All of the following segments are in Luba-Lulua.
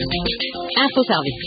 Info Service.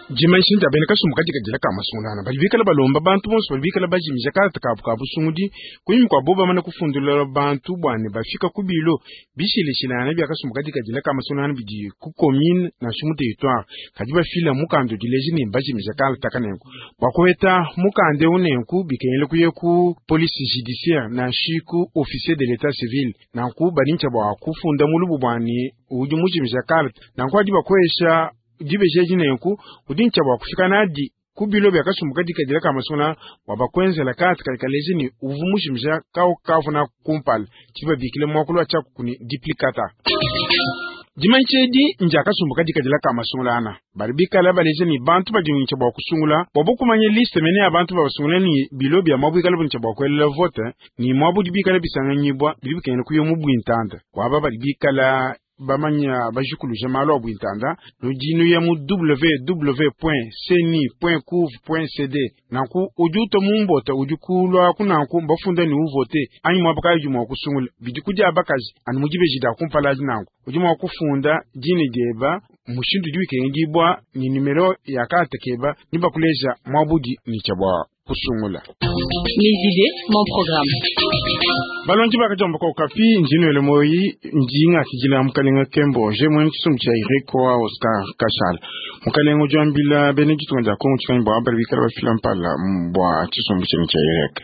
Dimanyisha dia bena kasumbu kadikadila ka masungulangana badi bikala balomba bantu bonso badi bikala bajimija kalata kabu ka busungudi kunyima kua bo bamana kufundulula bantu bua ne bafika ku bilo bishilashilangana bia kasumbu kadikadila ka masungulangana bidi ku commune nansha mu territoire kadi bafila mukanda udi uleja ne mbajimija kalata kanenku. Bua kuheta mukanda eu nenku bikengela kuya ku police judiciaire nansha ku officier de l'etat civil nanku badi ntshia bua kufunda mulubu bua ne udi mujimija kalata nanku adi bakuesha dibeji edi nenku udi ntshia bua kufika nadi ku bilo bia kasumbu kadikadila ka masungula bua bakuenzela kalata kadi kaleja ne uvu mujimija kawu kavuna kumpala tshidi babikile muakulu wa tshiakuku ne duplicata. Dimanyisha edi ndia kasumbu kadikadila ka masungulangana badi bikala baleja ne bantu badi ntshia bua kusungula bua bokumanya liste mene ya bantu babasungula ne bilo bia muabu bikala ntshia bua kuelela vote ne muabu udi bikala bisanganyibua bidi bikengela kuya mu buintanda waba badi bikala bamanya bajikuluja malu a buintanda nudi nuya mu www.ceni.gouv.cd nanku udi uta mu mbota udi kulua kunanku mbafunda ne uvote anyi muaba kayi udi mua kusungula bidi kudia bakaji anu mu dibeji dia kumpala adi nanku udi mua kufunda dina dieba mushindu udi wikengedibua ne numero ya kalata keba ni bakuleja muabudi ne tshia bua kusungula. Mes idées, mon programme. Balongi bakajamba ko kapi ndinwele moyi ndinga kijila mukalenga Kembo je mwene tshisumbu tshia Ireko wa Oscar Kashala mukalenga udi wambila bena ditunga dia Kongo tshikanyi bua bali bikala bafila mpala bua tshisumbu tshienu tshia Ireke.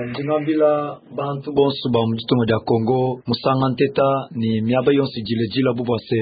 Ndingambila bantu bonso ba mu ditunga dia Kongo musanga nteta ni miaba yonso idilejila bu bua se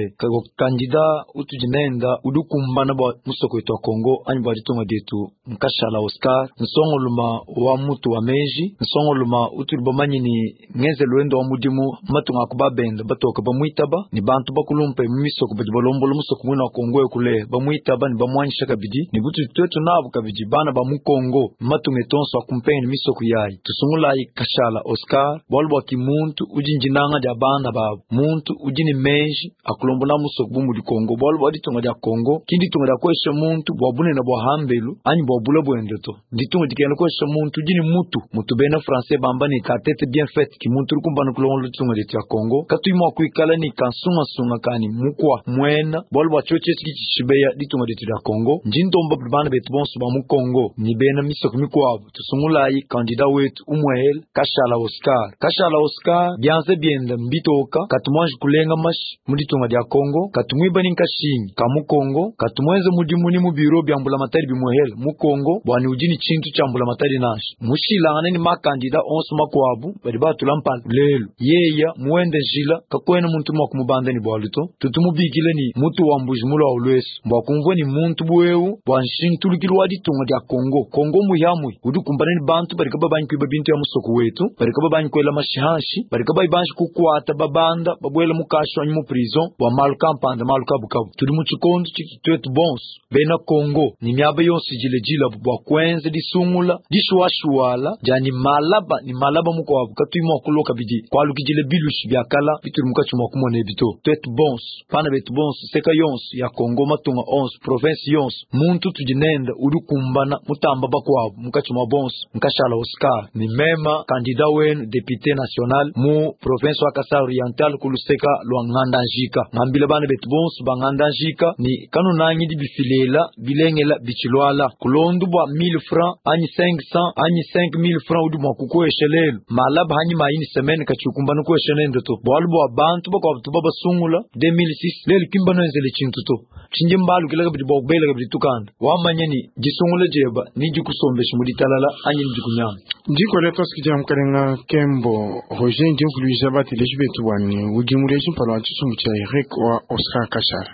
kandida utudi nenda udi ukumbana bua musoko wetu wa Kongo anyi bua ditunga dietu Nkashala Oscar nsongoluma wa mutu wa meji nsongoluma utudi bamanyi ni ngenzelu wende wa mudimu matunga aku babenda batoka bamuitaba ni bantu bakulumpe mu misoko badi balombola musoko mwina wa Kongo ekule bamuitaba ni bamuanyisha kabidi ni butudi twetu nabu kabidi bana ba mu Kongo matunga etonso akumpenge ni misoko yayi tusungulayi Kashala Oscar bualu bua kimuntu udi ndinanga dia bana babu muntu udi ni meji akulombola musoko bu mudi Kongo bualu bua ditunga dia Kongo ki ditunga dia kuesha muntu bua bunene bua hambelu anyi bua bula buende to ditunga dikena kuesha muntu udi ni mutu mutu bena français bamba ni ka tete bien faite ki muntu udi kumbana kulongola ditunga dietu ya Kongo katuyi mua kuikala ni kansungasunga kani mukua muena bualu bua tshiotshi etshi kitshishibeya ditunga dietu dia Kongo ndi ndomba bana betu bonso ba mu Kongo ni bena misoko mikuabu tusungulayi kandida wetu umwehele Kashala Oscar Kashala Oscar bianze bienda mbitoka katumwanji kulenga mashi mu ditunga dia Kongo katumwiba ni nkashingi ka mu Kongo katumwenze mudimu ni mu biro bya mbulamatadi bimwehele mu Kongo bwani udi ni tshintu tshia mbulamatadi nansha mushilangane ni makandida onso makuabu badi batula mpala lelu yeya muende njila kakwena muntu mua kumubanda ni bualu to tutumubikile ni mutu wa mbuji mulwa ulwesu bua kumvua ni muntu buewu bua nshintulukilu wa ditunga dia Kongo Kongo muyamui udi kumbana ni bantu badi kababanyi kuiba bintu ya musoko wetu badi kababanyi kuela mashihanshi badi kabayi banji kukwata babanda babuela mukashu anyi mu prison bua malu kampanda malu kabukabu tudi mu tshikondo tshiki twetu bonso bena Kongo ni miaba yonso idilejila bua kuenza disungula dishuashuala dia ni malaba ni malaba mukuabu katuyi mua kuloka bidi kualukidile bilushi biakala bituli mukatshi mua kumona ebi to twetu bonso bana betu bonso seka yonso ya Kongo matunga onso province yonso muntu tudi nenda udi kumbana mutamba bakuabu mukatshi mua bonso Nkashala Oscar ni mema kandida wenu député national mu province wa Kasai Oriental kuluseka lwa Ngandanjika ngambila bana betu bonso ba Ngandanjika ni kanunangidi bifilela bilengela bichilwala kulondu bua 1000 francs anyi 500 anyi 5000 francs udi mua kukuesha lelu malaba hanyi mayini semaine kachikumbana kuesha nende to bualu bua bantu bakuabu tuba basungula 2006 lelu kimba noenzele tshintu to tshindi mbalukila kabidi bua kubela kabidi tukanda wamanya ni disungula dieba ni dikusombesha mu ditalala anyi ni dikunyanga. Ndikole twasikidia mukalenga Kembo Roger ndi mvuluija bateleji betu bwani udi muleji mpala wa tshisumbu tshia Eric wa Oscar Kashala.